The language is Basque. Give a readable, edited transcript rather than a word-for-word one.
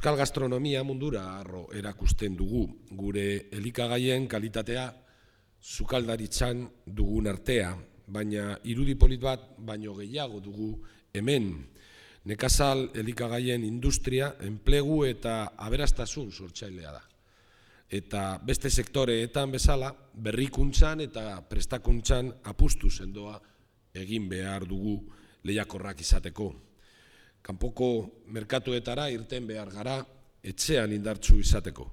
Euskal gastronomia mundura arro erakusten dugu, gure elikagaien kalitatea sukaldaritzan dugun artea, baina irudi polit bat baino gehiago dugu hemen. Nekazal elikagaien industria, enplegu eta aberastasun sortzailea da. Eta beste sektoreetan bezala, berrikuntzan eta prestakuntzan apustu sendoa egin behar dugu lehiakorrak izateko. Kanpoko merkatuetara irten behar gara etxean indartsu izateko.